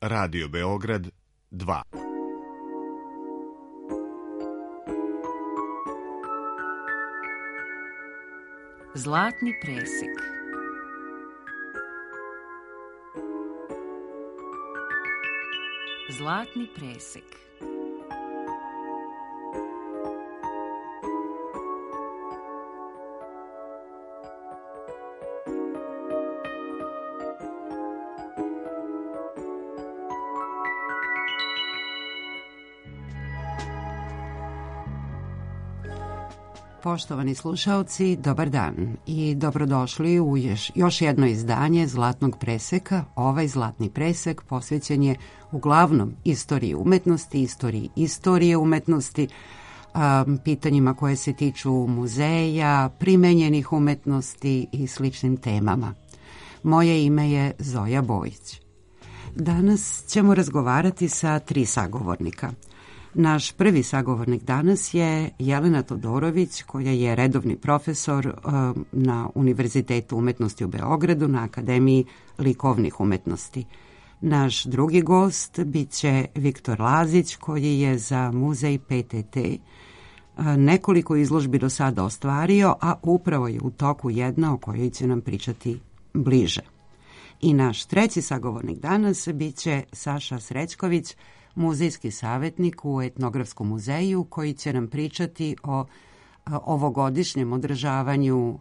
Radio Beograd 2. Zlatni presek. Zlatni presek. Poštovani slušaoci, dobar dan i dobrodošli u još jedno izdanje Zlatnog preseka. Ovaj Zlatni presek posvećen je uglavnom istoriji umetnosti, istorije umetnosti, pitanjima koje se tiču muzeja, primenjenih umetnosti i sličnim temama. Moje ime je Zoja Bojić. Danas ćemo razgovarati sa 3 sagovornika. Naš prvi sagovornik danas je Jelena Todorović, koja je redovni profesor na Univerzitetu umetnosti u Beogradu na Akademiji likovnih umetnosti. Naš drugi gost biće Viktor Lazić, koji je za muzej PTT nekoliko izložbi do sada ostvario, a upravo je u toku jedna o kojoj će nam pričati bliže. I naš treći sagovornik danas biće Saša Srećković, muzejski savjetnik u Etnografskom muzeju, koji će nam pričati o ovogodišnjem održavanju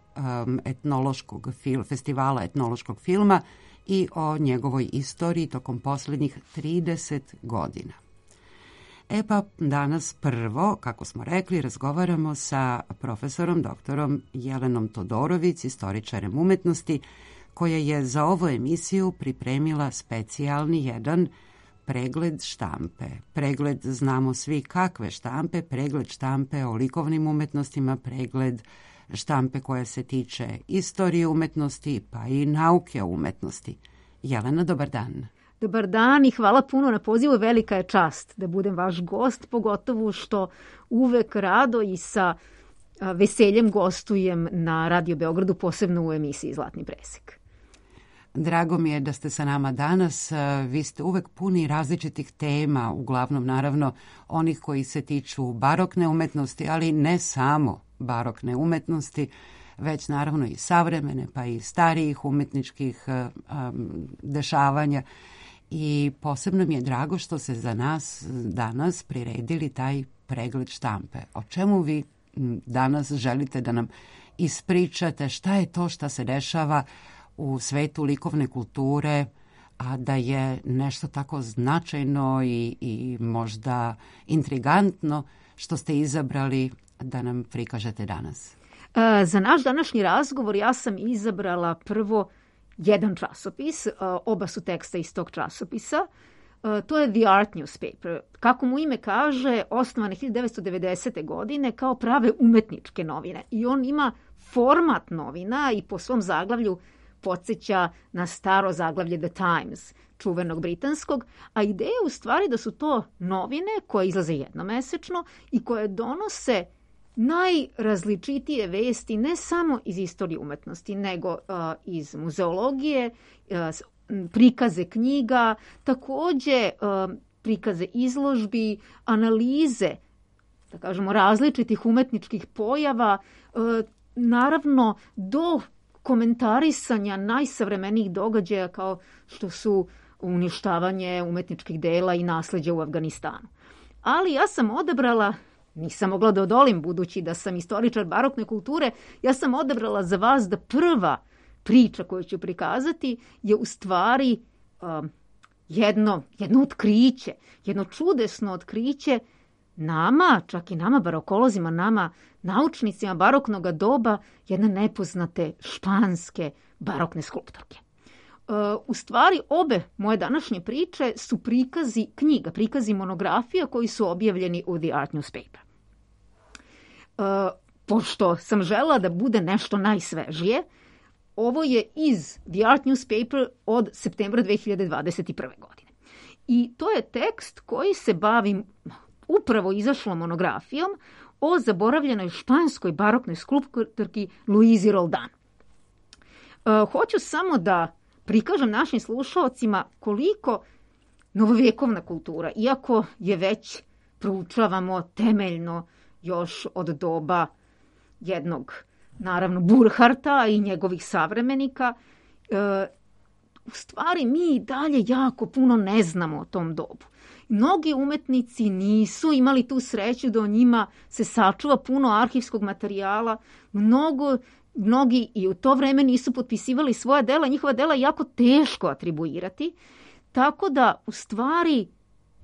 festivala etnološkog filma i o njegovoj istoriji tokom posljednjih 30 godina. Pa danas prvo, kako smo rekli, razgovaramo sa profesorom doktorom Jelenom Todorović, istoričarem umetnosti, koja je za ovu emisiju pripremila specijalni jedan pregled štampe. Pregled, znamo svi kakve štampe, pregled štampe o likovnim umetnostima, pregled štampe koja se tiče istorije umetnosti, pa i nauke o umetnosti. Jelena, dobar dan. Dobar dan i hvala puno na pozivu. Velika je čast da budem vaš gost, pogotovo što uvek rado i sa veseljem gostujem na Radio Beogradu, posebno u emisiji Zlatni presek. Drago mi je da ste sa nama danas. Vi ste uvek puni različitih tema, uglavnom naravno onih koji se tiču barokne umetnosti, ali ne samo barokne umetnosti, već naravno i savremene, pa i starijih umetničkih dešavanja. I posebno mi je drago što se za nas danas priredili taj pregled štampe. O čemu vi danas želite da nam ispričate? Šta je to što se dešava u svetu likovne kulture, a da je nešto tako značajno i možda intrigantno što ste izabrali da nam prikažete danas? Za naš današnji razgovor ja sam izabrala prvo jedan časopis, oba su teksta iz tog časopisa. To je The Art Newspaper. Kako mu ime kaže, osnovane 1990. godine kao prave umetničke novine. I on ima format novina i po svom zaglavlju podsjeća na staro zaglavlje The Times, čuvenog britanskog, a ideja je u stvari da su to novine koje izlaze jednomesečno i koje donose najrazličitije vesti ne samo iz istorije umetnosti, nego iz muzeologije, prikaze knjiga, takođe prikaze izložbi, analize, da kažemo, različitih umetničkih pojava, naravno do komentarisanja najsavremenijih događaja kao što su uništavanje umetničkih dela i nasleđa u Afganistanu. Ali ja sam odabrala, nisam mogla da odolim budući da sam istoričar barokne kulture, ja sam odabrala za vas da prva priča koju ću prikazati je u stvari jedno otkriće, jedno čudesno otkriće nama, čak i nama barokolozima, nama naučnicima baroknog doba, jedne nepoznate španske barokne skulptorke. U stvari, obe moje današnje priče su prikazi knjiga, prikazi monografija koji su objavljeni u The Art Newspaper. Pošto sam želela da bude nešto najsvežije, ovo je iz The Art Newspaper od septembra 2021. godine. I to je tekst koji se bavi upravo izašlom monografijom o zaboravljenoj španskoj baroknoj skulptorki Luizi Roldan. Hoću samo da prikažem našim slušalcima koliko novovjekovna kultura, iako je već proučavamo temeljno još od doba jednog, naravno, Burharta i njegovih savremenika, u stvari mi dalje jako puno ne znamo o tom dobu. Mnogi umetnici nisu imali tu sreću da o njima se sačuva puno arhivskog materijala. Mnogi i u to vreme nisu potpisivali svoja dela. Njihova dela je jako teško atribuirati. Tako da, u stvari,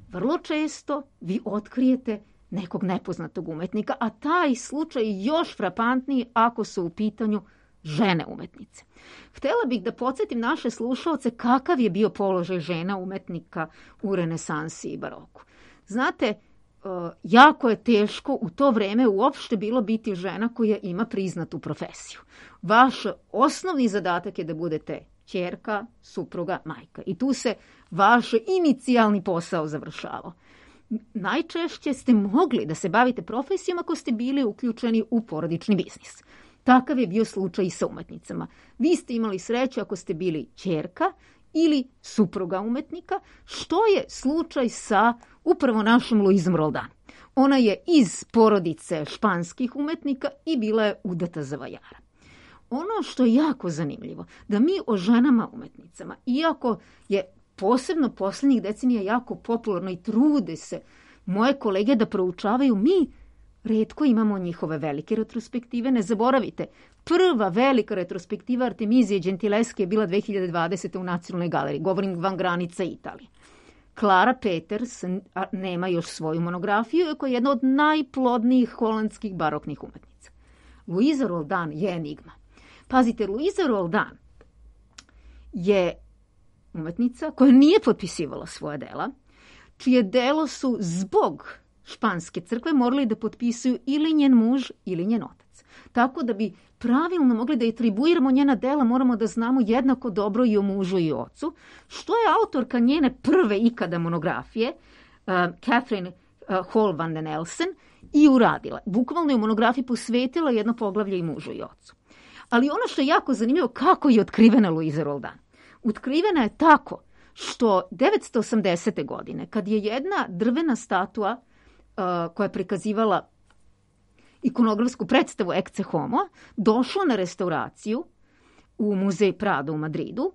vrlo često vi otkrijete nekog nepoznatog umetnika, a taj slučaj je još frapantniji ako su u pitanju žene umetnice. Htjela bih da podsjetim naše slušaoce kakav je bio položaj žena umetnika u renesansi i baroku. Znate, jako je teško u to vreme uopšte bilo biti žena koja ima priznatu profesiju. Vaš osnovni zadatak je da budete ćerka, supruga, majka. I tu se vaš inicijalni posao završavao. Najčešće ste mogli da se bavite profesijom ako ste bili uključeni u porodični biznis. Takav je bio slučaj i sa umetnicama. Vi ste imali sreću ako ste bili ćerka ili supruga umetnika, što je slučaj sa upravo našom Luizom Roldan. Ona je iz porodice španskih umetnika i bila je udata za vajara. Ono što je jako zanimljivo, da mi o ženama umetnicama, iako je posebno posljednjih decenija jako popularno i trude se moje kolege da proučavaju, mi retko imamo njihove velike retrospektive. Ne zaboravite, prva velika retrospektiva Artemizije Gentileske je bila 2020. u Nacionalnoj galeriji. Govorim van granica Italije. Clara Peters nema još svoju monografiju, iako je jedna od najplodnijih holandskih baroknih umetnica. Luiza Roldan je enigma. Pazite, Luiza Roldan je umetnica koja nije potpisivala svoja dela, čije delo su zbog španske crkve morali da potpisuju ili njen muž ili njen otac. Tako da bi pravilno mogli da atribuiramo njena dela, moramo da znamo jednako dobro i o mužu i o ocu, što je autorka njene prve ikada monografije, Catherine Hall van den Elsen, i uradila. Bukvalno je u monografiji posvetila jedno poglavlje i mužu i ocu. Ali ono što je jako zanimljivo, kako je otkrivena Luiza Roldan. Otkrivena je tako što 980. godine, kad je jedna drvena statua koja je prikazivala ikonografsku predstavu Ecce Homo, došla na restauraciju u muzej Prado u Madridu,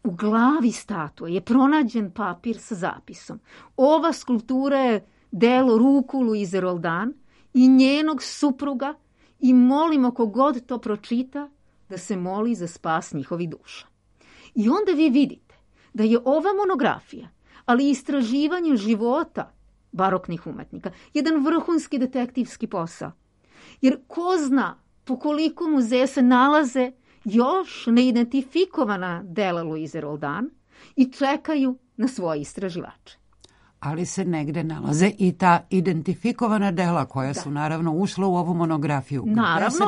u glavi statue je pronađen papir sa zapisom. Ova skulptura je delo ruku Luize Roldan i njenog supruga i molimo kogod to pročita da se moli za spas njihovih duša. I onda vi vidite da je ova monografija, ali i istraživanje života baroknih umetnika, jedan vrhunski detektivski posao. Jer ko zna po koliko muzeja se nalaze još neidentifikovana dela Luize Roldan i čekaju na svoje istraživače. Ali se negde nalaze i ta identifikovana dela koja su naravno ušla u ovu monografiju. Naravno,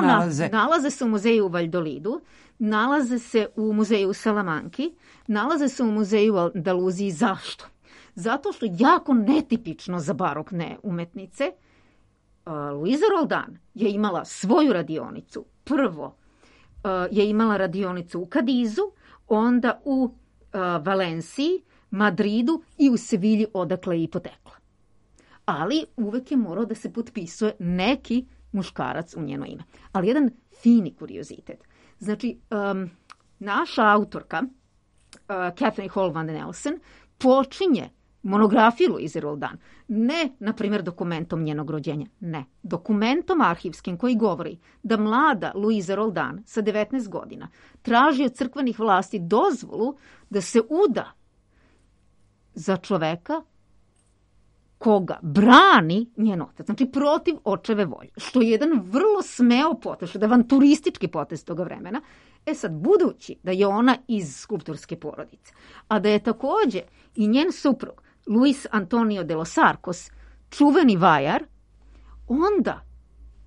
nalaze se u muzeju u Valjdolidu, nalaze se u muzeju u Salamanki, nalaze se u muzeju u Andaluziji. Zašto? Zato što jako netipično za barokne umetnice, Luiza Roldan je imala svoju radionicu. Prvo je imala radionicu u Kadizu, onda u Valenciji, Madridu i u Sevilji, odakle je i potekla. Ali uvek je morao da se potpisuje neki muškarac u njeno ime. Ali jedan fini kuriozitet. Znači, naša autorka, Catherine Hall van den Elsen, počinje monografiju Luize Roldan, ne, na primjer, dokumentom njenog rođenja, ne, dokumentom arhivskim koji govori da mlada Luiza Roldan sa 19 godina traži od crkvenih vlasti dozvolu da se uda za čoveka koga brani njen otac, znači protiv očeve volje, što je jedan vrlo smeo potez, što je avanturistički potez toga vremena. Sad, budući da je ona iz skulptorske porodice, a da je također i njen suprug Luis Antonio de los Arcos čuveni vajar, onda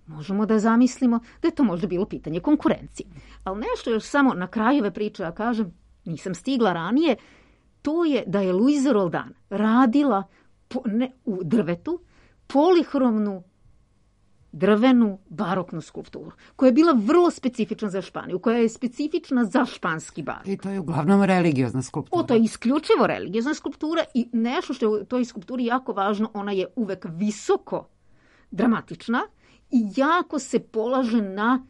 možemo da zamislimo da je to možda bilo pitanje konkurencije. Ali nešto još samo na kraju ove priče, ja kažem, nisam stigla ranije, to je da je Luiza Roldan radila u drvetu polihromnu drvenu baroknu skulpturu, koja je bila vrlo specifična za Španiju, koja je specifična za španski barok. I to je uglavnom religiozna skulptura. To je isključivo religiozna skulptura i nešto što je u toj skulpturi jako važno, ona je uvek visoko dramatična i jako se polaže na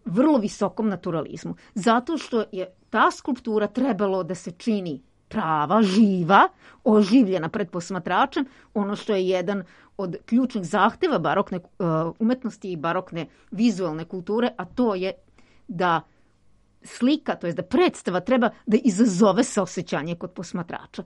vrlo visokom naturalizmu. Zato što je ta skulptura trebalo da se čini prava, živa, oživljena pred posmatračem, ono što je jedan od ključnih zahteva barokne umetnosti i barokne vizualne kulture, a to je da slika, to je da predstava treba da izazove saosećanje kod posmatrača.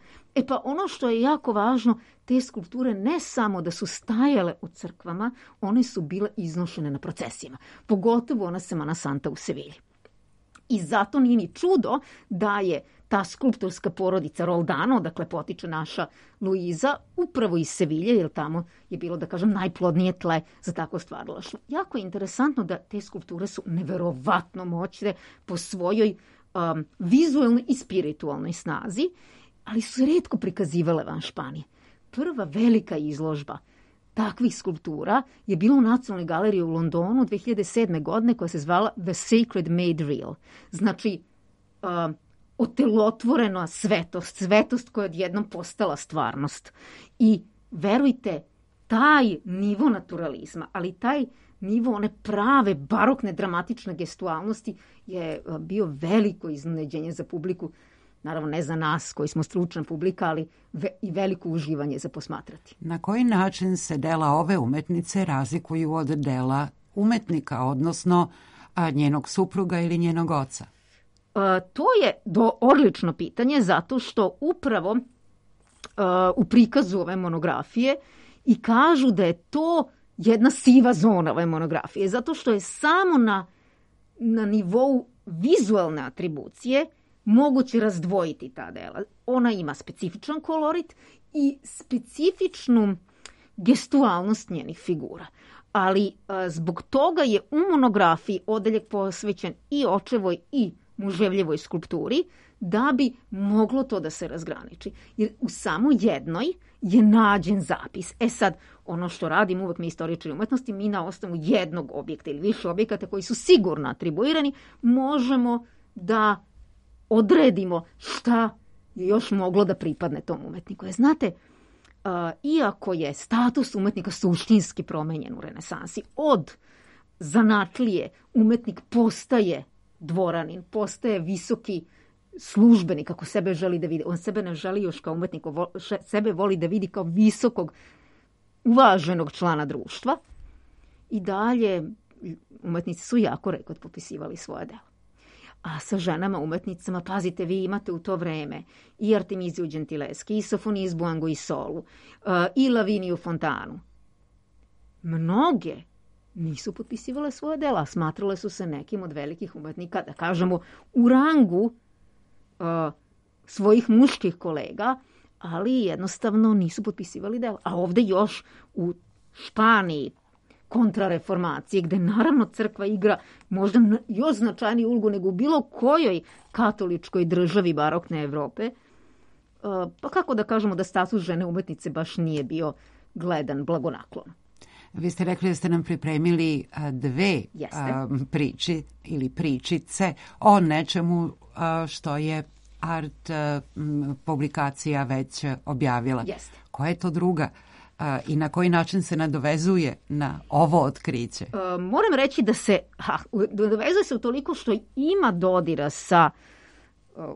Pa ono što je jako važno, te skulpture ne samo da su stajale u crkvama, one su bile iznošene na procesijama. Pogotovo ona Semana Santa u Sevilji. I zato nije ni čudo da je ta skulptorska porodica Roldano, dakle potiče naša Luiza, upravo iz Sevilje, jer tamo je bilo, da kažem, najplodnije tle za takvo stvaralaštvo. Jako je interesantno da te skulpture su neverovatno moćne po svojoj vizualnoj i spiritualnoj snazi, ali su se retko prikazivale van Španije. Prva velika izložba takvih skulptura je bila u Nacionalnoj galeriji u Londonu 2007. godine, koja se zvala The Sacred Made Real. Znači, otelotvorena svetost koja je odjednom postala stvarnost. I verujte, taj nivo naturalizma, ali taj nivo one prave barokne dramatične gestualnosti je bio veliko iznenađenje za publiku. Naravno, ne za nas koji smo stručna publika, ali i veliko uživanje za posmatrati. Na koji način se dela ove umetnice razlikuju od dela umetnika, odnosno njenog supruga ili njenog oca? To je odlično pitanje, zato što upravo u prikazu ove monografije i kažu da je to jedna siva zona ove monografije, zato što je samo na nivou vizualne atribucije moguće razdvojiti ta dela. Ona ima specifičan kolorit i specifičnu gestualnost njenih figura. Ali zbog toga je u monografiji odeljak posvećen i očevoj i muževljevoj skulpturi, da bi moglo to da se razgraniči. Jer u samo jednoj je nađen zapis. Sad, ono što radim uvek mi istoričari umetnosti, mi na osnovu jednog objekta ili više objekata koji su sigurno atribuirani, možemo da odredimo šta je još moglo da pripadne tom umetniku. Znate, iako je status umetnika suštinski promenjen u renesansi, od zanatlije umetnik postaje dvoranin, postaje visoki službenik, kako sebe želi da vidi. On sebe ne želi još kao umetnik, sebe voli da vidi kao visokog, uvaženog člana društva. I dalje umetnici su jako rekord popisivali svoje delo. A sa ženama umetnicama, pazite, vi imate u to vreme i Artemiziju Gentileschi, i Sofonizbu Anguissolu, i Laviniju Fontanu. Mnoge nisu potpisivale svoje dela, smatrale su se nekim od velikih umetnika, da kažemo, u rangu svojih muških kolega, ali jednostavno nisu potpisivali dela. A ovde još u Španiji, kontrareformacije, gde naravno crkva igra možda još značajniju ulogu nego u bilo kojoj katoličkoj državi barokne Evrope, pa kako da kažemo da status žene umetnice baš nije bio gledan blagonaklono. Vi ste rekli da ste nam pripremili dve priči ili pričice o nečemu što je Art publikacija već objavila. Jeste. Koja je to druga i na koji način se nadovezuje na ovo otkriće? Moram reći da se nadovezuje se utoliko što ima dodira sa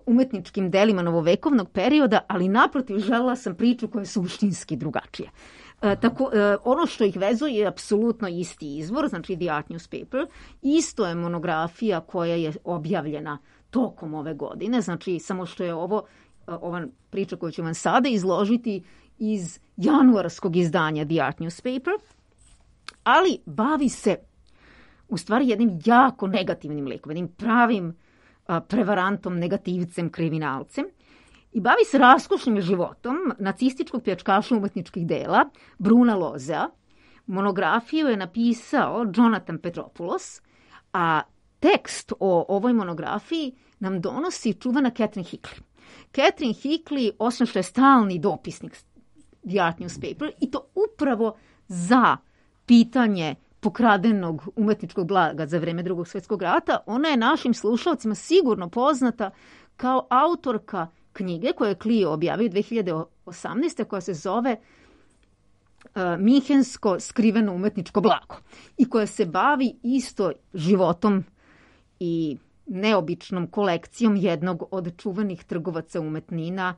umetničkim delima novovekovnog perioda, ali naprotiv želela sam priču koja je suštinski drugačija. Ono što ih vezuje je apsolutno isti izvor, znači The Art Newspaper. Isto je monografija koja je objavljena tokom ove godine, znači samo što je ova priča koju ću vam sada izložiti iz januarskog izdanja The Art Newspaper, ali bavi se u stvari jednim jako negativnim likom, jednim pravim prevarantom, negativcem, kriminalcem, i bavi se raskošnim životom nacističkog pljačkaša umetničkih dela Bruna Lozea. Monografiju je napisao Jonathan Petropoulos, a tekst o ovoj monografiji nam donosi čuvana Catherine Hickley. Catherine Hickley, osim što je stalni dopisnik The Art Newspaper, i to upravo za pitanje pokradenog umetničkog blaga za vreme Drugog svjetskog rata. Ona je našim slušalcima sigurno poznata kao autorka knjige koju je Clio objavio 2018. koja se zove Minhensko skriveno umetničko blago i koja se bavi isto životom i neobičnom kolekcijom jednog od čuvenih trgovaca umetnina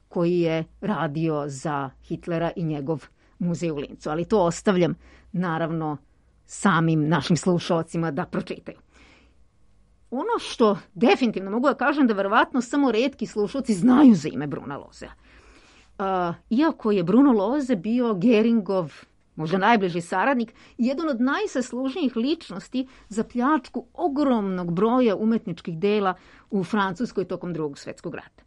koji je radio za Hitlera i njegov muzej u Lincu. Ali to ostavljam naravno samim našim slušalcima da pročitaju. Ono što definitivno mogu da kažem da verovatno samo retki slušalci znaju za ime Bruna Lozea. Iako je Bruno Loze bio Geringov možda najbliži saradnik i jedan od najsaslužnijih ličnosti za pljačku ogromnog broja umetničkih dela u Francuskoj tokom Drugog svjetskog rata.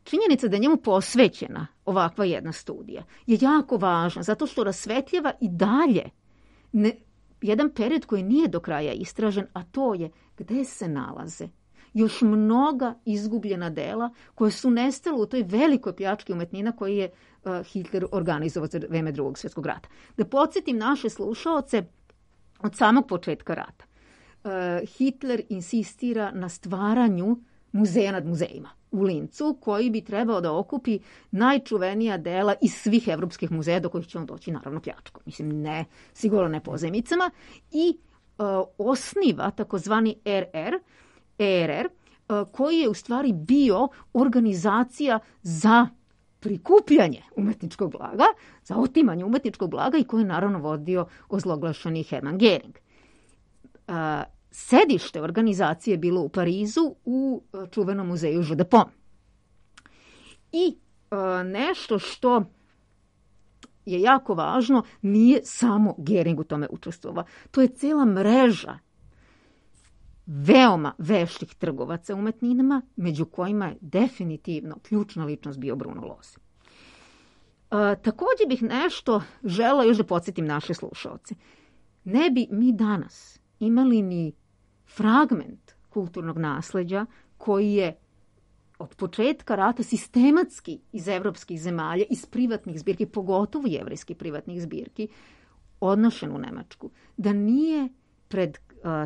Činjenica da je njemu posvećena ovakva jedna studija je jako važna zato što rasvetljava i dalje jedan period koji nije do kraja istražen, a to je gde se nalaze još mnoga izgubljena dela koje su nestale u toj velikoj pljački umetnina koji je Hitler organizovao za vreme Drugog svjetskog rata. Da podsjetim naše slušaoce, od samog početka rata Hitler insistira na stvaranju muzeja nad muzejima u Lincu, koji bi trebao da okupi najčuvenija dela iz svih evropskih muzeja do kojih će on doći, naravno, pljačkom. Mislim, ne, sigurno ne pozajmicama. I osniva takozvani ERR, koji je u stvari bio organizacija za prikupljanje umetničkog blaga, za otimanje umetničkog blaga i koji je naravno vodio ozloglašeni Hermann Göring. Sedište organizacije je bilo u Parizu u čuvenom muzeju Jeu de Paume. I nešto što je jako važno, nije samo Göring u tome učestvovao. To je cijela mreža veoma veštih trgovaca umetninama, među kojima je definitivno ključna ličnost bio Bruno Lose. Također bih nešto žela još da podsjetim naše slušalce. Ne bi mi danas imali ni fragment kulturnog nasleđa koji je od početka rata sistematski iz evropskih zemalja, iz privatnih zbirki, pogotovo jevrejskih privatnih zbirki, odnošen u Nemačku. Da nije pred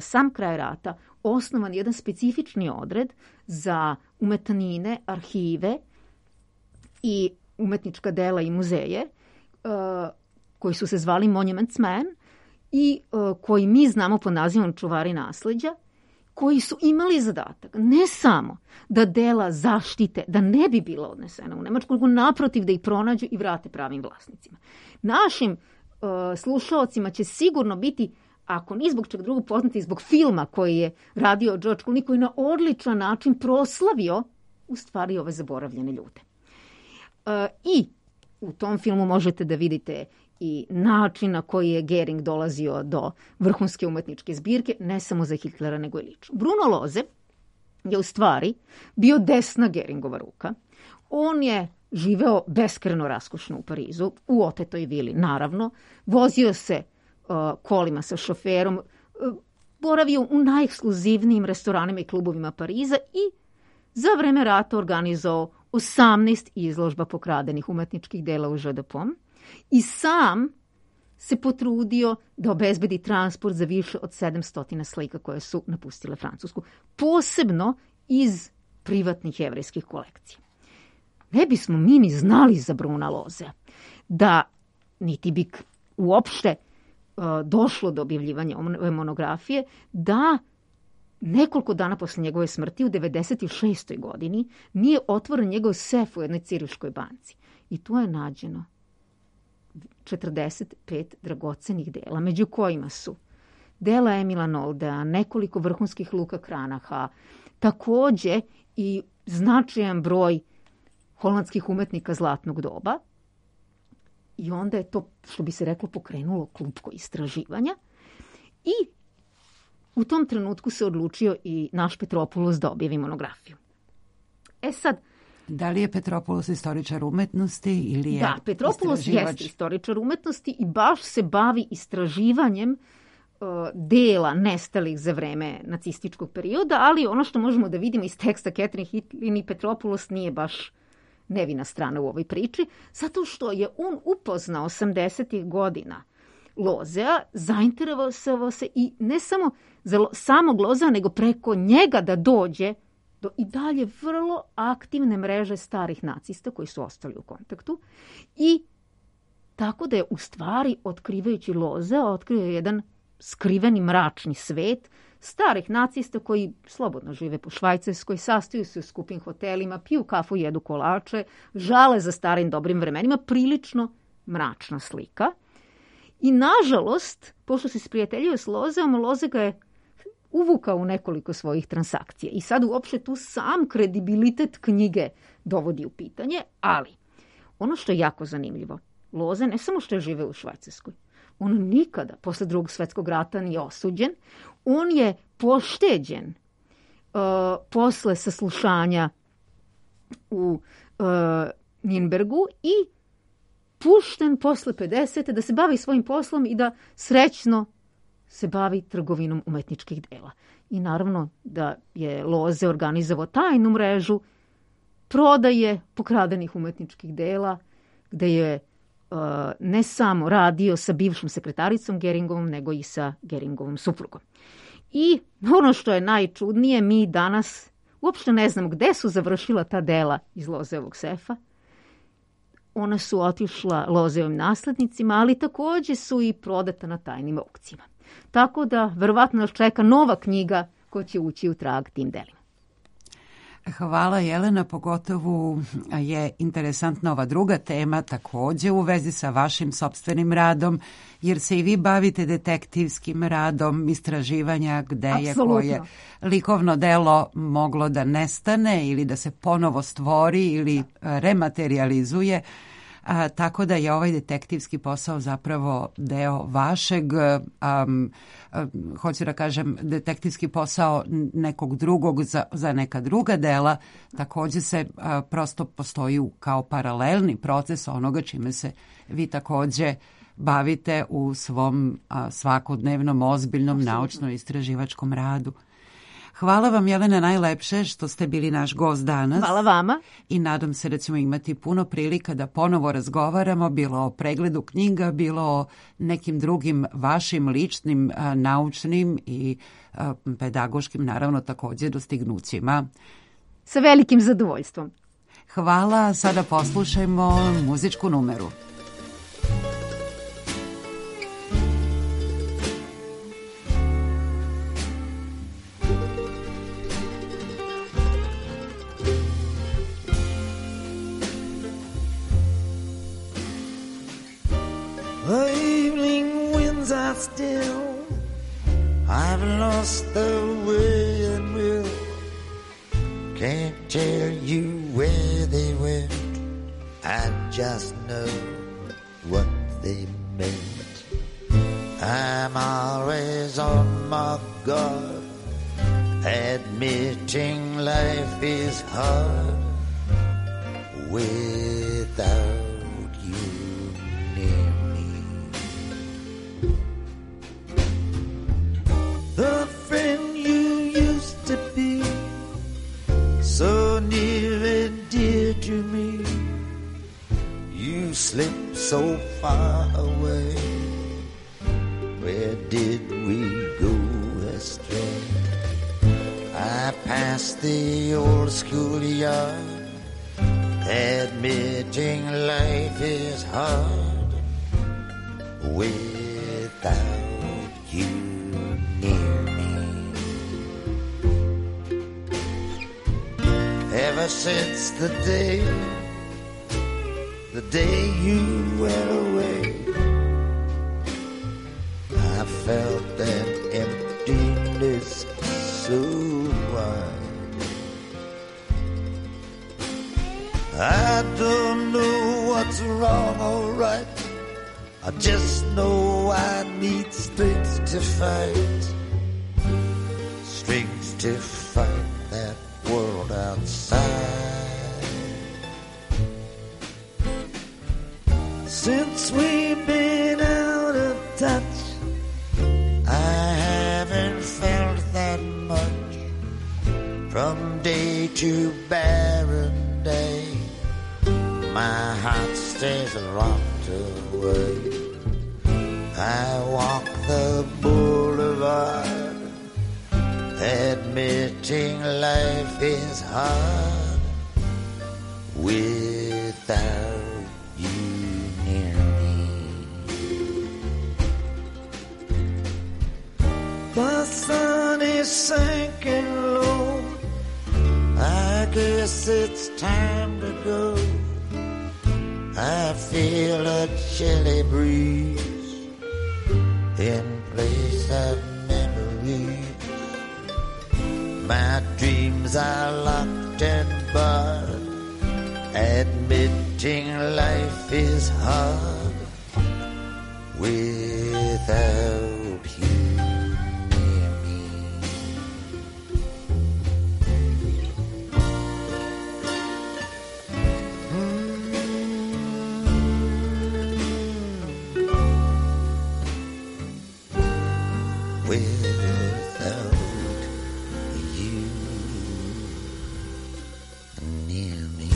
sam kraj rata osnovan jedan specifični odred za umetnine, arhive i umetnička dela i muzeje koji su se zvali Monumentsman i koji mi znamo pod nazivom čuvari nasleđa, koji su imali zadatak ne samo da dela zaštite, da ne bi bila odnesena u Nemačku, nego naprotiv da ih pronađu i vrate pravim vlasnicima. Našim slušaocima će sigurno biti, ako ni zbog čega drugog, poznati zbog filma koji je radio George Clooney, koji je na odličan način proslavio u stvari ove zaboravljene ljude. I u tom filmu možete da vidite i način na koji je Göring dolazio do vrhunske umetničke zbirke, ne samo za Hitlera, nego i lično. Bruno Lose je u stvari bio desna Göringova ruka. On je živeo beskreno raskošno u Parizu, u otetoj vili, naravno. Vozio se kolima sa šoferom, boravio u najekskluzivnijim restoranima i klubovima Pariza i za vreme rata organizovao 18 izložba pokradenih umetničkih dela u Jeu de Paume i sam se potrudio da obezbedi transport za više od 700 slika koje su napustile Francusku, posebno iz privatnih jevrejskih kolekcija. Ne bismo mi ni znali za Bruna Losea, da niti bi uopšte došlo do objavljivanja ove monografije, da nekoliko dana posle njegove smrti u 96. godini nije otvoren njegov sef u jednoj ciriškoj banci. I tu je nađeno 45 dragocenih dela, među kojima su dela Emila Noldea, nekoliko vrhunskih Luka Kranaha, takođe i značajan broj holandskih umetnika zlatnog doba. I onda je to, što bi se reklo, pokrenulo klupko istraživanja. I u tom trenutku se odlučio i naš Petropoulos da objavi monografiju. Sad, da li je Petropoulos istoričar umetnosti ili je da, Petropoulos jeste istoričar umetnosti i baš se bavi istraživanjem dela nestalih za vreme nacističkog perioda, ali ono što možemo da vidimo iz teksta Catherine Hitlin, Petropoulos nije baš nevina strana u ovoj priči, zato što je on upoznao 80. godina Lozea, zainteresovao se i ne samo za samog Lozea, nego preko njega da dođe do i dalje vrlo aktivne mreže starih nacista koji su ostali u kontaktu i tako da je u stvari, otkrivajući Lozea, otkrio jedan skriveni mračni svet starih nacista koji slobodno žive po Švajcarskoj, sastaju se u skupim hotelima, piju kafu, jedu kolače, žale za starim dobrim vremenima, prilično mračna slika. I nažalost, pošto se sprijateljio s Lozeom, Loze ga je uvukao u nekoliko svojih transakcija. I sad uopšte tu sam kredibilitet knjige dovodi u pitanje, ali ono što je jako zanimljivo, Loze ne samo što je živeo u Švajcarskoj, on nikada posle Drugog svjetskog rata nije osuđen, on je pošteđen posle saslušanja u Nürnbergu i pušten posle 50. da se bavi svojim poslom i da srećno se bavi trgovinom umetničkih dela. I naravno da je Loze organizovao tajnu mrežu prodaje pokradenih umetničkih dela, gde je ne samo radio sa bivšom sekretaricom Geringovom, nego i sa Geringovom suprugom. I ono što je najčudnije, mi danas uopšte ne znamo gde su završila ta dela iz Lozeovog sefa. Ona su otišla Lozeovim naslednicima, ali takođe su i prodata na tajnim aukcijama. Tako da, verovatno nas čeka nova knjiga koja će ući u trag tim delima. Hvala Jelena, pogotovo je interesantna ova druga tema takođe u vezi sa vašim sopstvenim radom, jer se i vi bavite detektivskim radom istraživanja gde je koje likovno delo moglo da nestane ili da se ponovo stvori ili rematerializuje. Tako da je ovaj detektivski posao zapravo deo vašeg, hoću da kažem, detektivski posao nekog drugog za neka druga dela, takođe se prosto postoji kao paralelni proces onoga čime se vi takođe bavite u svom svakodnevnom, ozbiljnom, naučno-istraživačkom radu. Hvala vam, Jelena, najlepše što ste bili naš gost danas. Hvala vama. I nadam se da ćemo imati puno prilika da ponovo razgovaramo, bilo o pregledu knjiga, bilo o nekim drugim vašim ličnim, naučnim i pedagoškim, naravno, takođe dostignućima. Sa velikim zadovoljstvom. Hvala. Sada poslušajmo muzičku numeru. Still, I've lost the way and will. Can't tell you where they went. I just know what they meant. I'm always on my guard, admitting life is hard without you near me. The friend you used to be, so near and dear to me, you slipped so far away. Where did we go astray? I passed the old schoolyard, admitting life is hard without you near me. Ever since the day you went away, I felt an emptiness so wide. I don't know what's wrong or right, I just know I need strength to fight. Strength to fight that world outside. Since we've been out of touch, I haven't felt that much. From day to barren day, my heart stays locked away. I walk the boulevard, admitting life is hard without you near me. The sun is sinking low, I guess it's time to go. I feel a chilly breeze in place of memories. My dreams are locked and barred, admitting life is hard without you near me. Without you near me.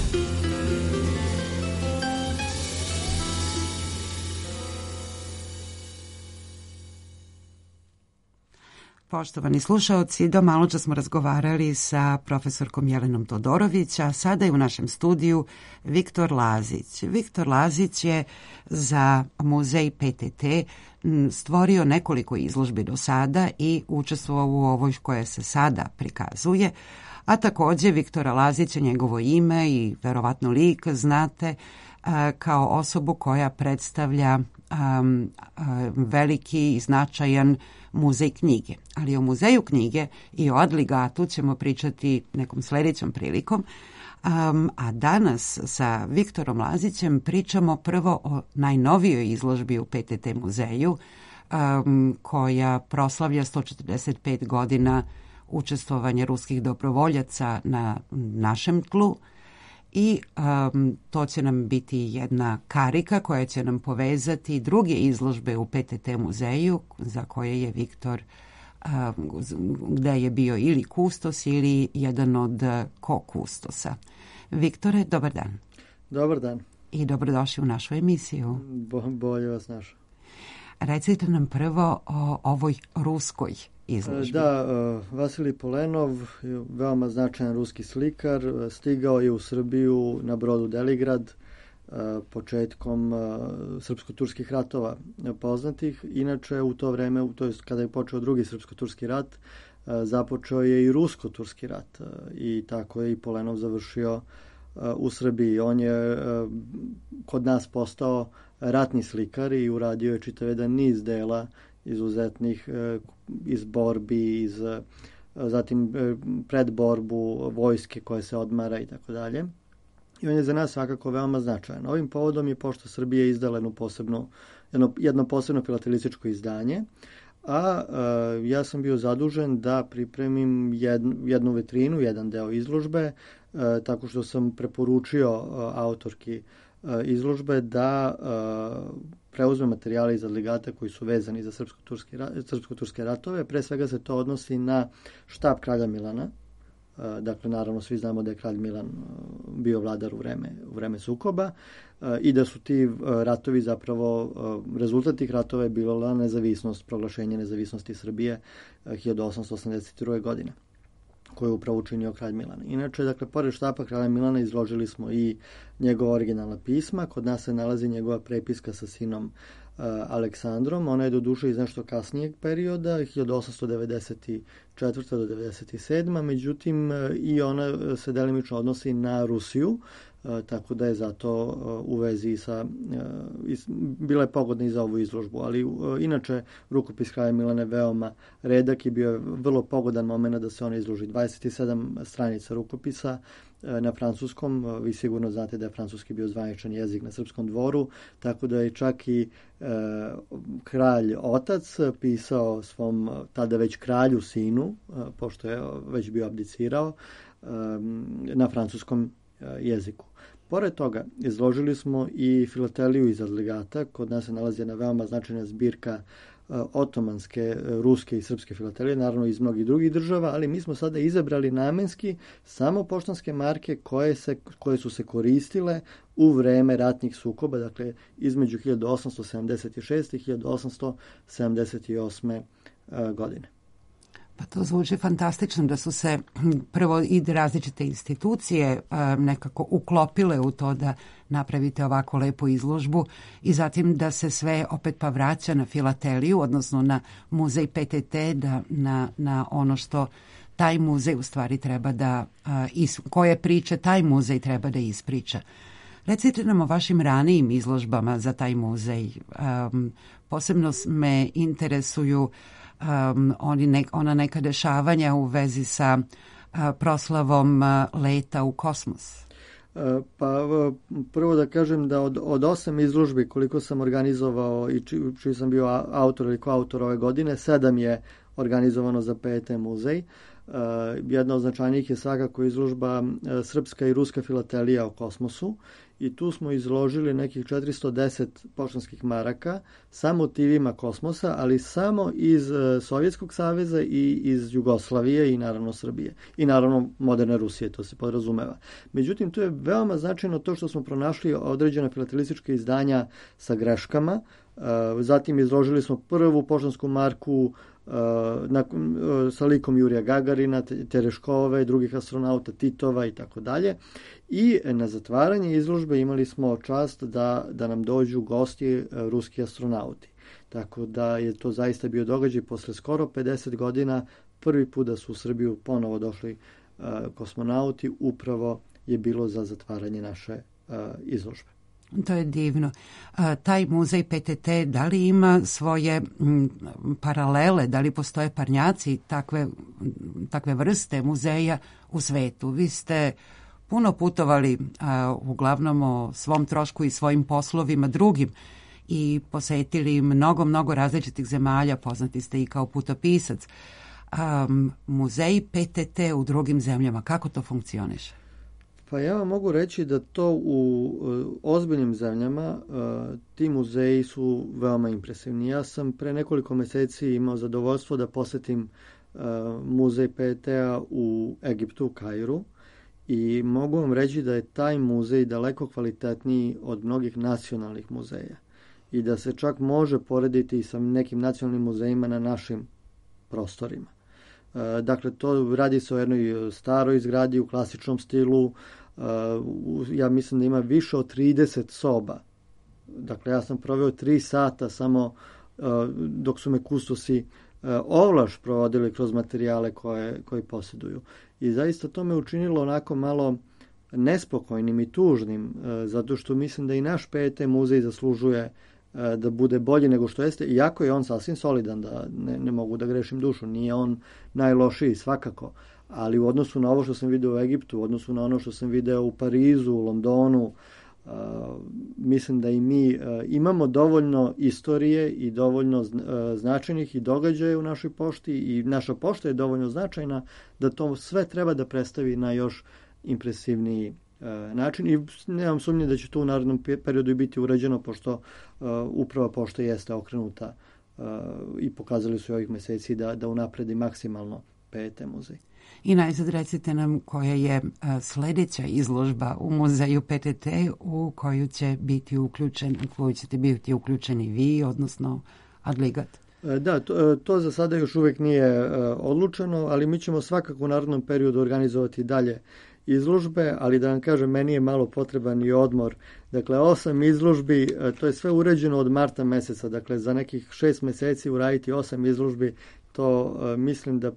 Poštovani slušaoci, do maločas smo razgovarali sa profesorkom Jelenom Todorović, a sada je u našem studiju Viktor Lazić. Viktor Lazić je za muzej PTT stvorio nekoliko izložbi do sada i učestvovao u ovoj koja se sada prikazuje, a takođe Viktora Lazića, njegovo ime i verovatno lik znate kao osobu koja predstavlja veliki i značajan muzej knjige. Ali o muzeju knjige i o Adligatu ćemo pričati nekom sljedećom prilikom. A danas sa Viktorom Lazićem pričamo prvo o najnovijoj izložbi u PTT muzeju koja proslavlja 145 godina učestvovanja ruskih dobrovoljaca na našem tlu. I to će nam biti jedna karika koja će nam povezati druge izložbe u PTT muzeju za koje je Viktor, gde je bio ili kustos ili jedan od ko-kustosa. Viktore, dobar dan. Dobar dan. I dobrodošli u našu emisiju. Bolje vas našao. Recite nam prvo o ovoj ruskoj izložbi. Da, Vasilij Polenov, veoma značajan ruski slikar, stigao je u Srbiju na brodu Deligrad početkom srpsko-turskih ratova poznatih. Inače, u to vreme, to je kada je počeo drugi srpsko-turski rat, započeo je i rusko-turski rat i tako je i Polenov završio u Srbiji. On je kod nas postao ratni slikar i uradio je čitav jedan niz dela izuzetnih iz borbi, zatim predborbu vojske koja se odmara i tako dalje. I on je za nas svakako veoma značajan. Ovim povodom je Pošta Srbije izdala jedno posebno filatelističko izdanje, a ja sam bio zadužen da pripremim jednu vitrinu, jedan deo izložbe, tako što sam preporučio autorki izložbe da preuzme materijale iz Adligata koji su vezani za srpsko-turske ratove. Pre svega se to odnosi na štab kralja Milana. Dakle, naravno, svi znamo da je kralj Milan bio vladar u vreme sukoba i da su ti ratovi zapravo, rezultat tih ratova je bila nezavisnost, proglašenje nezavisnosti Srbije 1882. godine, koju je upravo učinio kralj Milan. Inače, dakle, pored štapa kralja Milana izložili smo i njegova originalna pisma. Kod nas se nalazi njegova prepiska sa sinom Aleksandrom. Ona je do duše iz nešto kasnijeg perioda, 1894. do 97. Međutim, i ona se delimično odnosi na Rusiju, tako da je zato u vezi sa, bila je pogodna i za ovu izložbu, ali inače rukopis kralja Milana je veoma redak i bio je vrlo pogodan moment da se ona izloži. 27 stranica rukopisa na francuskom, vi sigurno znate da je francuski bio zvaničan jezik na srpskom dvoru, tako da je čak i kralj otac pisao svom tada već kralju sinu, pošto je već bio abdicirao, na francuskom jeziku. Pored toga, izložili smo i filateliju iz Adligata. Kod nas se nalazi jedna veoma značajna zbirka otomanske, ruske i srpske filatelije, naravno iz mnogih drugih država, ali mi smo sada izabrali namenski samo poštanske marke koje su se koristile u vreme ratnih sukoba, dakle između 1876. i 1878. godine. Pa to zvuči fantastično da su se prvo i različite institucije nekako uklopile u to da napravite ovako lepu izložbu i zatim da se sve opet pa vraća na filateliju, odnosno na muzej PTT, na ono što taj muzej u stvari treba da, koje priče taj muzej treba da ispriča. Recite nam o vašim ranijim izložbama za taj muzej. Posebno me interesuju ona neka dešavanja u vezi sa proslavom leta u kosmos. Pa prvo da kažem da od 8 izložbi koliko sam organizovao i čiji sam bio autor ili koautor ove godine, 7 je organizovano za PET muzej. Jedna od značajnijih je svakako izložba Srpska i Ruska filatelija o kosmosu i tu smo izložili nekih 410 poštanskih maraka sa motivima kosmosa, ali samo iz Sovjetskog saveza i iz Jugoslavije i naravno Srbije i naravno moderne Rusije, to se podrazumeva. Međutim, tu je veoma značajno to što smo pronašli određena filatelistička izdanja sa greškama. Zatim izložili smo prvu poštansku marku sa likom Jurija Gagarina, Tereškove, drugih astronauta, Titova i tako dalje. I na zatvaranje izložbe imali smo čast da nam dođu gosti ruski astronauti. Tako da je to zaista bio događaj posle skoro 50 godina. Prvi put da su u Srbiju ponovo došli kosmonauti, upravo je bilo za zatvaranje naše izložbe. To je divno. Taj muzej PTT, da li ima svoje paralele, da li postoje parnjaci takve vrste muzeja u svetu? Vi ste puno putovali, uglavnom o svom trošku i svojim poslovima drugim i posetili mnogo različitih zemalja, poznati ste i kao putopisac. Muzeji PTT u drugim zemljama, kako to funkcioniše? Pa ja vam mogu reći da to u ozbiljnim zemljama ti muzeji su veoma impresivni. Ja sam pre nekoliko meseci imao zadovoljstvo da posetim muzej PET-a u Egiptu, u Kairu, i mogu vam reći da je taj muzej daleko kvalitetniji od mnogih nacionalnih muzeja i da se čak može porediti sa nekim nacionalnim muzejima na našim prostorima. Dakle, to radi se o jednoj staroj zgradi u klasičnom stilu. Ja mislim da ima više od 30 soba. Dakle, ja sam proveo 3 sata samo dok su me kustosi ovlaš provodili kroz materijale koje posjeduju. I zaista to me učinilo onako malo nespokojnim i tužnim, zato što mislim da i naš PET muzej zaslužuje da bude bolji nego što jeste, iako je on sasvim solidan, da ne mogu da grešim dušu, nije on najlošiji svakako, ali u odnosu na ovo što sam video u Egiptu, u odnosu na ono što sam video u Parizu, u Londonu, mislim da i mi imamo dovoljno istorije i dovoljno značajnih i događaja u našoj pošti i naša pošta je dovoljno značajna da to sve treba da predstavi na još impresivniji način i nemam sumnje da će to u narednom periodu biti urađeno, pošto uprava pošte jeste okrenuta i pokazali su ovih meseci da unapredi maksimalno PET muzej. I najzad recite nam koja je sledeća izložba u muzeju PTT u koju će biti uključeni vi, odnosno Adligat. Da, to za sada još uvijek nije odlučeno, ali mi ćemo svakako u narednom periodu organizovati dalje izložbe, ali da vam kažem, meni je malo potreban i odmor. Dakle, 8 izložbi, to je sve uređeno od marta meseca, dakle za nekih 6 meseci uraditi 8 izložbi, to mislim da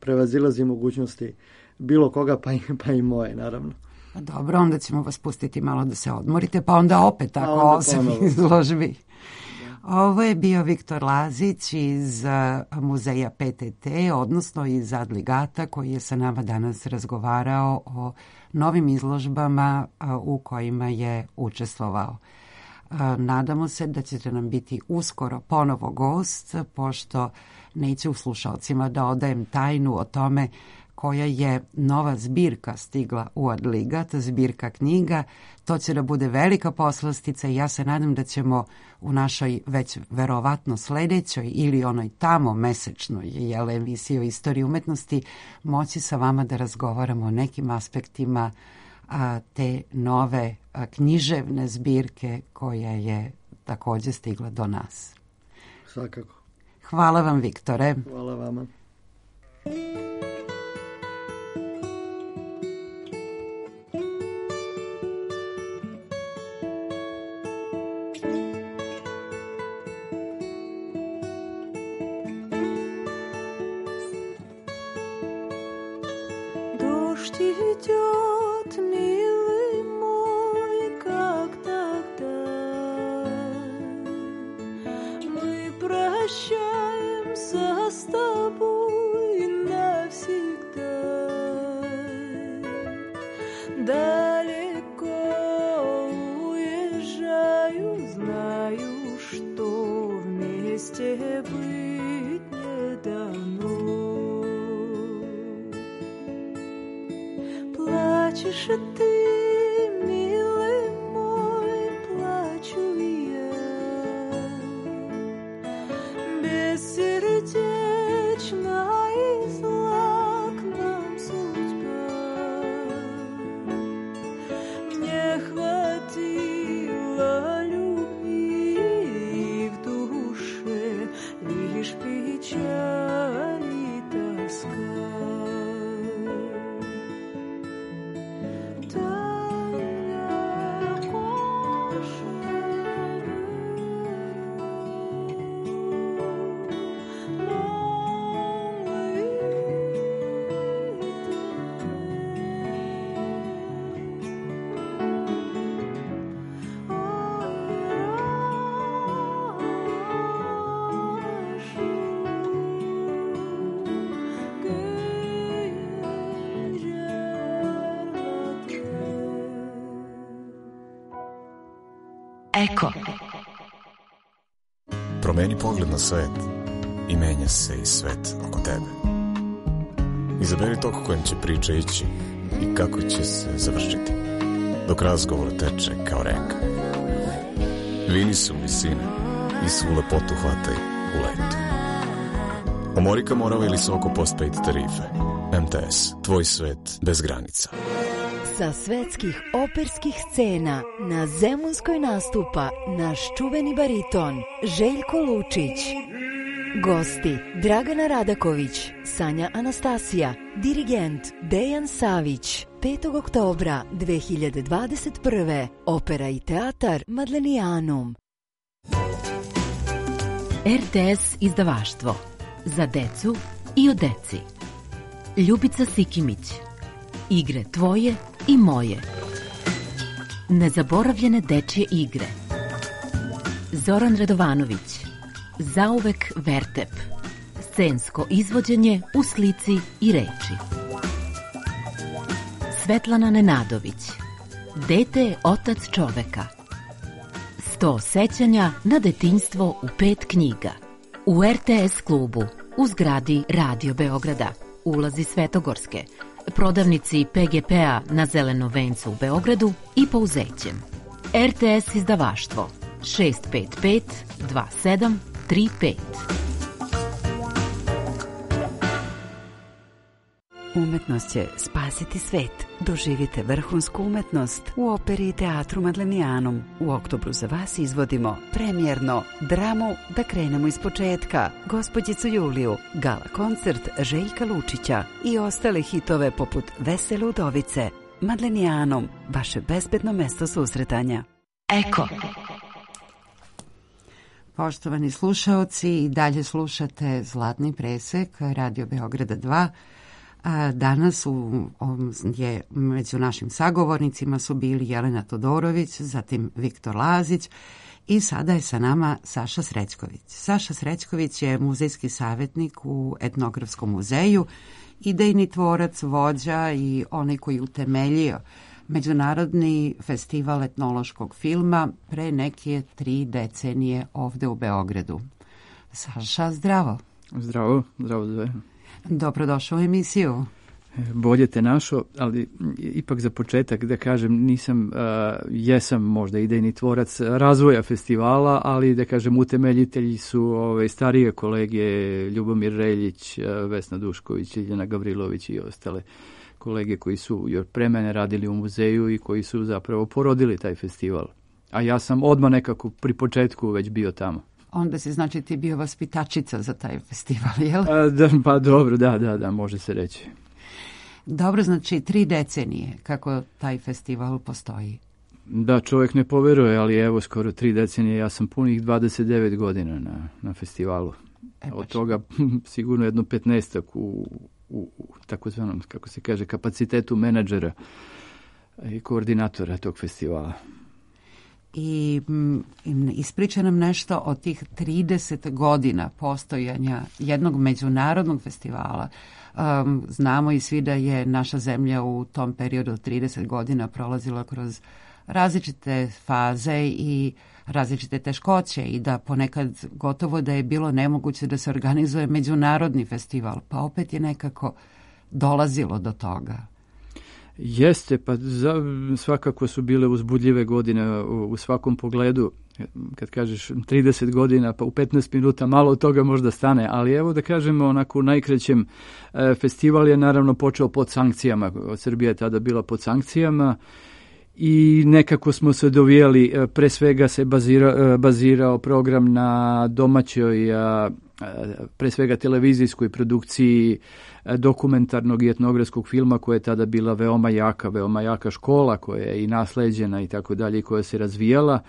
prevazilazi mogućnosti bilo koga, pa i moje, naravno. Dobro, onda ćemo vas pustiti malo da se odmorite, pa onda opet tako 8 izložbi. Ovo je bio Viktor Lazić iz muzeja PTT, odnosno iz Adligata, koji je sa nama danas razgovarao o novim izložbama u kojima je učestvovao. Nadamo se da ćete nam biti uskoro ponovo gost, pošto neće u slušalcima da odajem tajnu o tome koja je nova zbirka stigla u Adligat, zbirka knjiga. To će da bude velika poslastica i ja se nadam da ćemo u našoj već verovatno sledećoj ili onoj tamo mesečnoj emisiji o istoriji umetnosti moći sa vama da razgovaramo o nekim aspektima te nove književne zbirke koja je takođe stigla do nas. Svakako. Hvala vam, Viktore. Hvala vama. Дождь идет, милый мой, как тогда. Мы прощаемся с тобой навсегда. Далеко уезжаю, знаю, что вместе быть не дано. Плачешь и ты, милый мой, плачу и я. Бессердечна и зла к нам судьба. Мне хватило любви, и в душе лишь печаль и тоска. Eko. Promeni pogled na svet i menja se i svet oko tebe. Izaberi tok kojim će priča ići i kako će se završiti, dok razgovor teče kao reka. Vini se u visine i svu lepotu hvataj u letu. Omorika Morava ili Soko postpaid tarife. MTS, tvoj svet bez granica. Sa svetskih operskih scena na Zemunskoj nastupa naš čuveni bariton Željko Lučić. Gosti Dragana Radaković, Sanja Anastasija, dirigent Dejan Savić. 5. oktobra 2021. Opera i teatar Madlenijanum. RTS izdavaštvo. Za decu i o deci. Ljubica Sikimić. Igre tvoje i moje. Nezaboravljene dečje igre. Zoran Radovanović. Zauvek Vertep. Scensko izvođenje u slici i reči. Svetlana Nenadović. Dete je otac čoveka. 100 sećanja na detinjstvo u 5 knjiga. U RTS klubu u zgradi Radio Beograda, ulazi Svetogorske, prodavnici PGP-a na Zelenom vencu u Beogradu i Pouzećem. RTS izdavaštvo 655 2735. Umetnost će spasiti svet. Doživite vrhunsku umetnost u operi i teatru Madlenijanum. U oktobru za vas izvodimo premijerno dramu Da krenemo iz početka, Gospođicu Juliju, gala koncert Željka Lučića i ostale hitove poput Vesele udovice. Madlenijanum, vaše bezbedno mesto susretanja. Eko. Poštovani slušaoci, i dalje slušate Zlatni presek Radio Beograda 2. Danas je među našim sagovornicima su bili Jelena Todorović, zatim Viktor Lazić i sada je sa nama Saša Srećković. Saša Srećković je muzejski savjetnik u Etnografskom muzeju, idejni tvorac, vođa i onaj koji utemeljio Međunarodni festival etnološkog filma pre neke 3 decenije ovde u Beogradu. Saša, zdravo. Zdravo sve. Dobrodošao u emisiju. Bolje te našo, ali ipak za početak da kažem, jesam možda idejni tvorac razvoja festivala, ali da kažem utemeljitelji su starije kolege Ljubomir Reljić, Vesna Dušković, Ljiljana Gavrilović i ostale kolege koji su još pre mene radili u muzeju i koji su zapravo porodili taj festival. A ja sam odmah nekako pri početku već bio tamo. Onda si, znači, ti bio vaspitačica za taj festival, jel? Pa dobro, da, može se reći. Dobro, znači 3 decenije kako taj festival postoji. Da, čovjek ne poveruje, ali evo skoro 3 decenije, ja sam punih 29 godina na festivalu. Od toga sigurno jedno 15 u takozvanom, kako se kaže, kapacitetu menadžera i koordinatora tog festivala. I ispriča nam nešto o tih 30 godina postojanja jednog međunarodnog festivala. Znamo i svi da je naša zemlja u tom periodu 30 godina prolazila kroz različite faze i različite teškoće i da ponekad gotovo da je bilo nemoguće da se organizuje međunarodni festival, pa opet je nekako dolazilo do toga. Jeste, pa svakako su bile uzbudljive godine u svakom pogledu. Kad kažeš 30 godina, pa u 15 minuta malo od toga možda stane, ali evo da kažemo onako u najkraćem, festival je naravno počeo pod sankcijama. Srbija je tada bila pod sankcijama i nekako smo se dovijali, pre svega se bazirao program na domaćoj, pre svega televizijskoj produkciji dokumentarnog i etnografskog filma koja je tada bila veoma jaka škola koja je i nasleđena i tako dalje, koja se razvijala,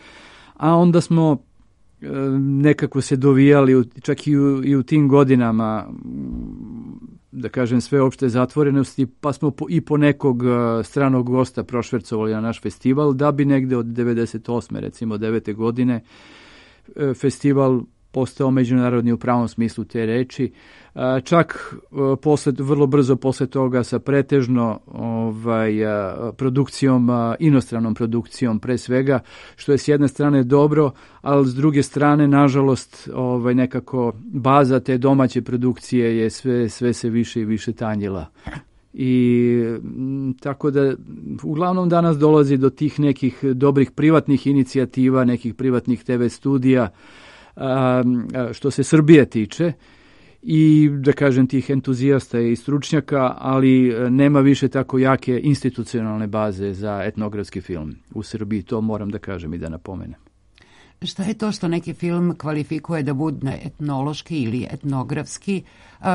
a onda smo nekako se dovijali čak i u tim godinama, da kažem, sveopšte zatvorenosti, pa smo i po nekog stranog gosta prošvercovali na naš festival, da bi negde od 98. recimo 9. godine festival postao međunarodni u pravom smislu te reči. Čak vrlo brzo posle toga sa pretežno produkcijom, inostranom produkcijom pre svega, što je s jedne strane dobro, ali s druge strane, nažalost, nekako baza te domaće produkcije je sve se više i više tanjila. I tako da uglavnom danas dolazi do tih nekih dobrih privatnih inicijativa, nekih privatnih TV studija, što se Srbije tiče, i da kažem tih entuzijasta i stručnjaka, ali nema više tako jake institucionalne baze za etnografski film u Srbiji, to moram da kažem i da napomenem. Šta je to što neki film kvalifikuje da bude etnološki ili etnografski,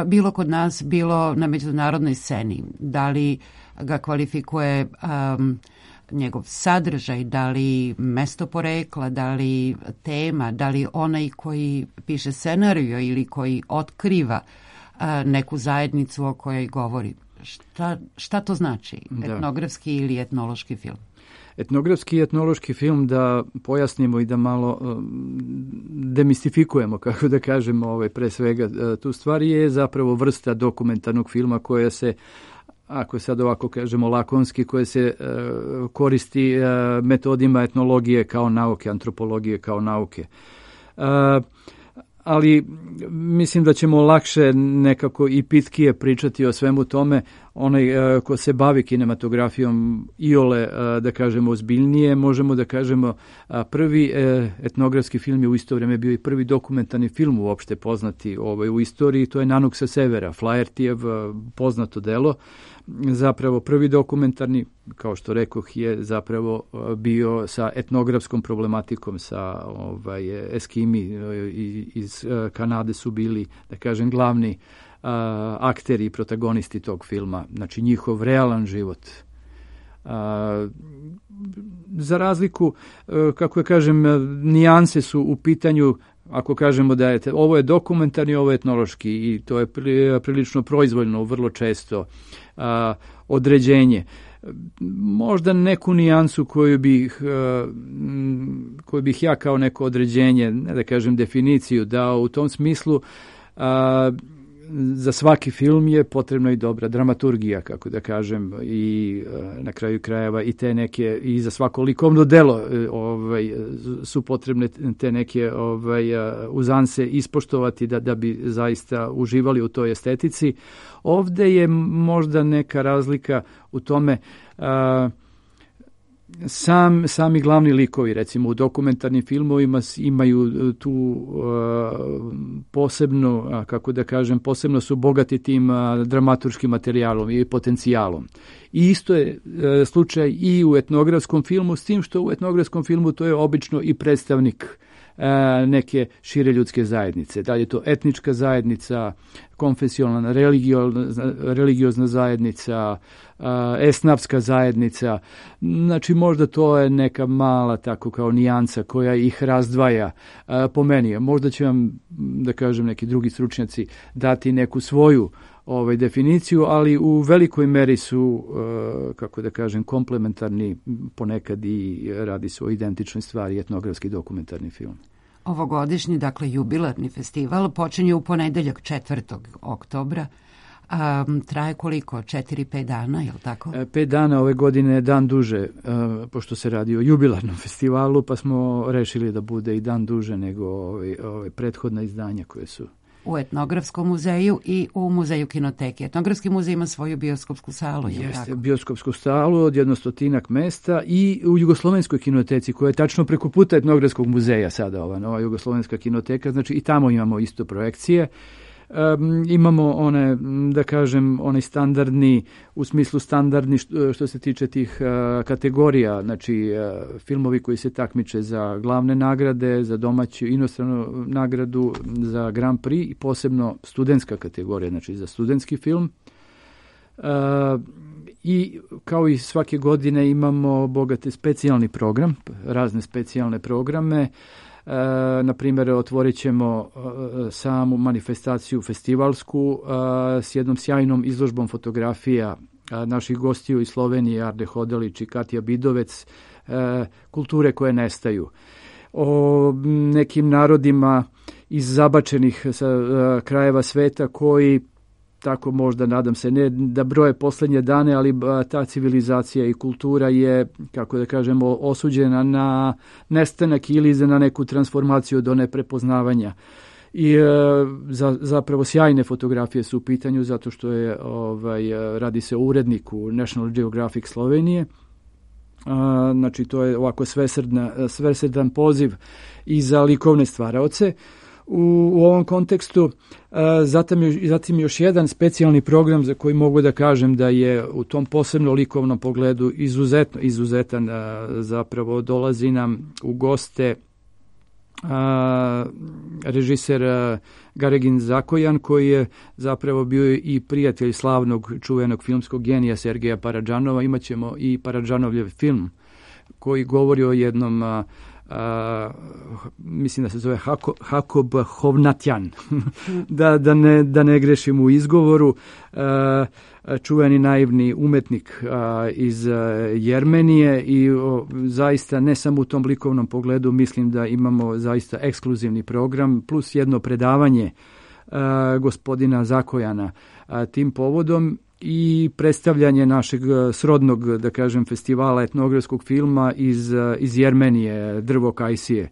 bilo kod nas, bilo na međunarodnoj sceni? Da li ga kvalifikuje njegov sadržaj, da li mesto porekla, da li tema, da li onaj koji piše scenariju ili koji otkriva neku zajednicu o kojoj govori? Šta to znači, etnografski ili etnološki film? Etnografski i etnološki film, da pojasnimo i da malo demistifikujemo, kako da kažemo, pre svega tu stvari, je zapravo vrsta dokumentarnog filma koja se, ako sad ovako kažemo lakonski, koje se koristi metodima etnologije kao nauke, antropologije kao nauke. Ali mislim da ćemo lakše nekako i pitkije pričati o svemu tome. Onaj ko se bavi kinematografijom iole, da kažemo, ozbiljnije, možemo da kažemo prvi etnografski film je u isto vrijeme bio i prvi dokumentarni film uopšte poznati u istoriji, to je Nanuk sa severa, Flahertijev poznato delo. Zapravo prvi dokumentarni, kao što rekoh, je zapravo bio sa etnografskom problematikom, sa Eskimi iz Kanade su bili, da kažem, glavni akteri i protagonisti tog filma, znači njihov realan život. Za razliku, kako kažem, nijanse su u pitanju, ako kažemo da je ovo je dokumentarni, ovo je etnološki, i to je prilično proizvoljno, vrlo često određenje. Možda neku nijansu koju bih ja kao neko određenje, ne da kažem definiciju, dao u tom smislu, za svaki film je potrebna i dobra dramaturgija, kako da kažem, i na kraju krajeva i te neke, i za svako likovno delo su potrebne te neke uzanse ispoštovati da bi zaista uživali u toj estetici. Ovde je možda neka razlika u tome, sami glavni likovi, recimo u dokumentarnim filmovima, imaju tu posebno, kako da kažem, posebno su bogati tim dramaturškim materijalom i potencijalom. I isto je slučaj i u etnografskom filmu, s tim što u etnografskom filmu to je obično i predstavnik neke šire ljudske zajednice. Da li je to etnička zajednica, konfesionalna, religiozna zajednica, esnafska zajednica. Znači možda to je neka mala tako kao nijansa koja ih razdvaja po meni. Možda će vam, da kažem, neki drugi stručnjaci dati neku svoju definiciju, ali u velikoj meri su, kako da kažem, komplementarni, ponekad i radi se o identičnoj stvari, etnografski dokumentarni film. Ovogodišnji, dakle, jubilarni festival počinje u ponedeljak 4. oktobra. Traje koliko? 4-5 dana, je li tako? 5 dana ove godine je dan duže, pošto se radi o jubilarnom festivalu, pa smo rešili da bude i dan duže nego ove prethodna izdanja koje su u Etnografskom muzeju i u Muzeju kinoteke. Etnografski muzej ima svoju bioskopsku salu. Jeste, bioskopsku salu od 100 mesta i u Jugoslovenskoj kinoteci, koja je tačno preko puta Etnografskog muzeja sada, ova nova Jugoslovenska kinoteka, znači i tamo imamo isto projekcije. Imamo one, da kažem, onaj standardni, u smislu standardni što se tiče tih kategorija, znači filmovi koji se takmiče za glavne nagrade, za domaću inostranu nagradu, za Grand Prix i posebno studentska kategorija, znači za studentski film. I kao i svake godine imamo bogate specijalni program, razne specijalne programe. Na primjer, otvorit ćemo samu manifestaciju festivalsku s jednom sjajnom izložbom fotografija naših gostiju iz Slovenije, Arde Hodalić i Katja Bidovec, kulture koje nestaju. O nekim narodima iz zabačenih krajeva sveta koji, tako možda, nadam se, ne da broje posljednje dane, ali ta civilizacija i kultura je, kako da kažemo, osuđena na nestanak ili na neku transformaciju do neprepoznavanja. I zapravo sjajne fotografije su u pitanju, zato što je radi se o uredniku National Geographic Slovenije. Znači to je ovako svesrdan poziv i za likovne stvaraoce. U ovom kontekstu zatim još jedan specijalni program za koji mogu da kažem da je u tom posebno likovnom pogledu izuzetan, zapravo dolazi nam u goste režiser Garegin Zakojan, koji je zapravo bio i prijatelj slavnog čuvenog filmskog genija Sergeja Paradžanova. Imaćemo i Paradžanovljev film koji govori o jednom mislim da se zove Hakob Hovnatjan, da ne grešim u izgovoru, čuveni naivni umetnik iz Jermenije i zaista ne samo u tom likovnom pogledu, mislim da imamo zaista ekskluzivni program plus jedno predavanje gospodina Zakojana tim povodom i predstavljanje našeg srodnog, da kažem, festivala etnografskog filma iz Jermenije, Drvo Kajsije.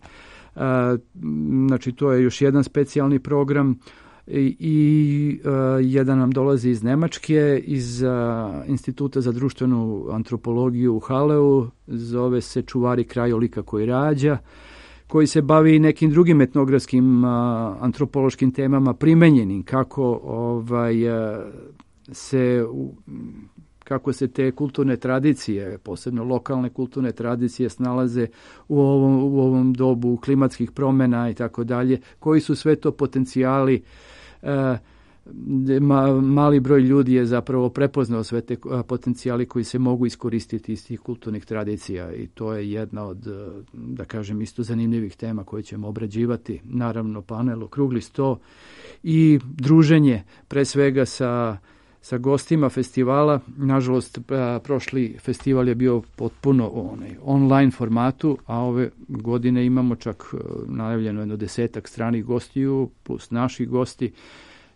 Znači, to je još jedan specijalni program i jedan nam dolazi iz Nemačke, iz Instituta za društvenu antropologiju u Haleu, zove se Čuvari krajolika koji rađa, koji se bavi nekim drugim etnografskim antropološkim temama primenjenim, kako se te kulturne tradicije, posebno lokalne kulturne tradicije, snalaze u ovom dobu klimatskih promjena i tako dalje, koji su sve to potencijali. Mali broj ljudi je zapravo prepoznao sve te potencijali koji se mogu iskoristiti iz tih kulturnih tradicija i to je jedna od, da kažem, isto zanimljivih tema koje ćemo obrađivati. Naravno, panel, okrugli sto i druženje pre svega sa gostima festivala. Nažalost, prošli festival je bio potpuno online formatu, a ove godine imamo čak najavljeno 10 stranih gostiju plus naši gosti.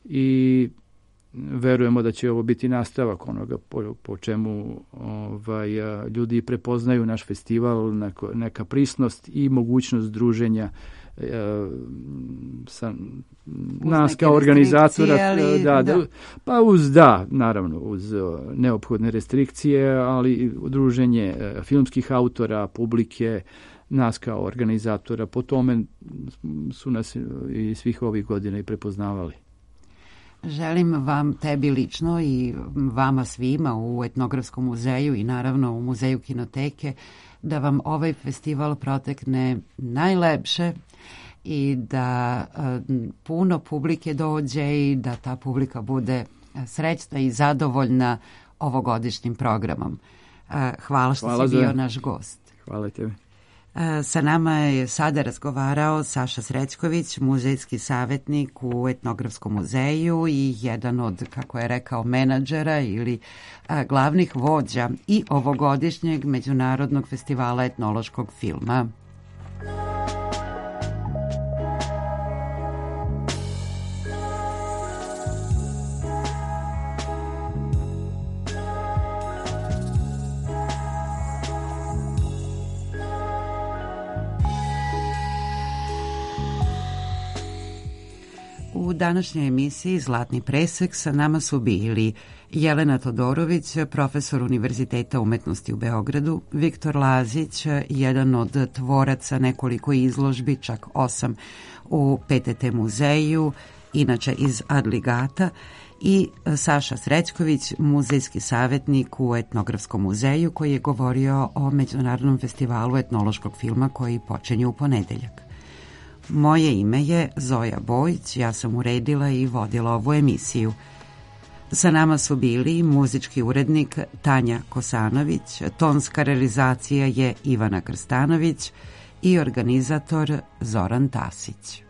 i verujemo da će ovo biti nastavak onoga po čemu ljudi prepoznaju naš festival, neka prisnost i mogućnost druženja sa nas kao organizatora, naravno uz neophodne restrikcije, ali druženje filmskih autora, publike, nas kao organizatora, po tome su nas i svih ovih godina i prepoznavali. Želim vam, tebi lično i vama svima u Etnografskom muzeju i naravno u Muzeju kinoteke, da vam ovaj festival protekne najlepše i da puno publike dođe i da ta publika bude srećna i zadovoljna ovogodišnjim programom. Hvala što si bio naš gost. Hvala tebi. Sa nama je sada razgovarao Saša Srećković, muzejski savjetnik u Etnografskom muzeju i jedan od, kako je rekao, menadžera ili glavnih vođa i ovogodišnjeg Međunarodnog festivala etnološkog filma. U današnjoj emisiji Zlatni presek sa nama su bili Jelena Todorović, profesor Univerziteta umetnosti u Beogradu, Viktor Lazić, jedan od tvoraca nekoliko izložbi, čak 8 u PTT muzeju, inače iz Adligata, i Saša Srećković, muzejski savjetnik u Etnografskom muzeju, koji je govorio o Međunarodnom festivalu etnološkog filma koji počinje u ponedeljak. Moje ime je Zoja Bojić, ja sam uredila i vodila ovu emisiju. Sa nama su bili muzički urednik Tanja Kosanović, tonska realizacija je Ivana Krstanović i organizator Zoran Tasić.